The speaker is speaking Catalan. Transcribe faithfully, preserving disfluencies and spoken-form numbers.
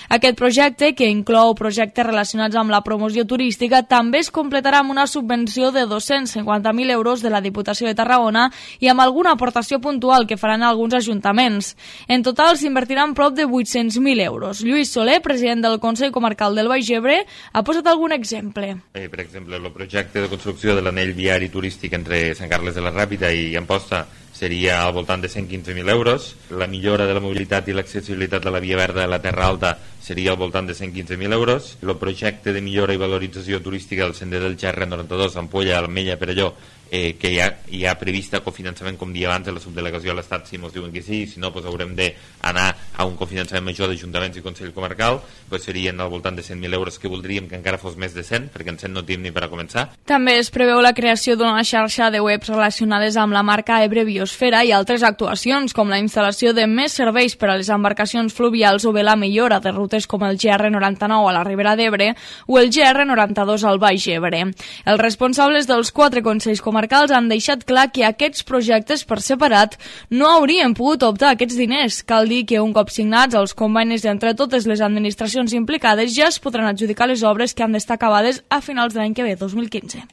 Aquest projecte, que inclou projectes relacionats amb la promoció turística, també es completarà amb una subvenció de dos-cents cinquanta mil euros de la Diputació de Tarragona i amb alguna aportació puntual que faran alguns ajuntaments. En total s'invertiran prop de vuit-cents mil euros. Lluís Soler, president del Consell Comarcal del Baix Ebre, ha posat algun exemple. Eh, per exemple, el projecte de construcció de l'anell viari turístic entre Sant Carles de la Ràpita i Amposta seria al voltant de cent quinze mil euros. La millora de la mobilitat i l'accessibilitat de la Via Verda de la Terra Alta seria al voltant de cent quinze mil euros. El projecte de millora i valorització turística del Sender del Xerre noranta-dos, Ampolla, Almella, Perelló, eh, que hi ha, hi ha prevista cofinançament, com dia abans, de la subdelegació a l'Estat, si ens diuen que sí, si no, pues haurem d'anar a un cofinançament major d'ajuntaments i Consell Comarcal, pues serien al voltant de cent mil euros, que voldríem que encara fos més de cent, perquè en cent no tenim ni per a començar. També es preveu la creació d'una xarxa de webs relacionades amb la marca Ebre Biosfera i altres actuacions, com la instal·lació de més serveis per a les embarcacions fluvials o bé la millora de rutes com el G R noranta-nou a la Ribera d'Ebre o el G R noranta-dos al Baix Ebre. Els responsables dels quatre consells comarcals han deixat clar que aquests projectes per separat no haurien pogut optar a aquests diners. Cal dir que un cop signats els convenis entre totes les administracions implicades ja es podran adjudicar les obres que han d'estar acabades a finals de l'any que ve, dos mil quinze.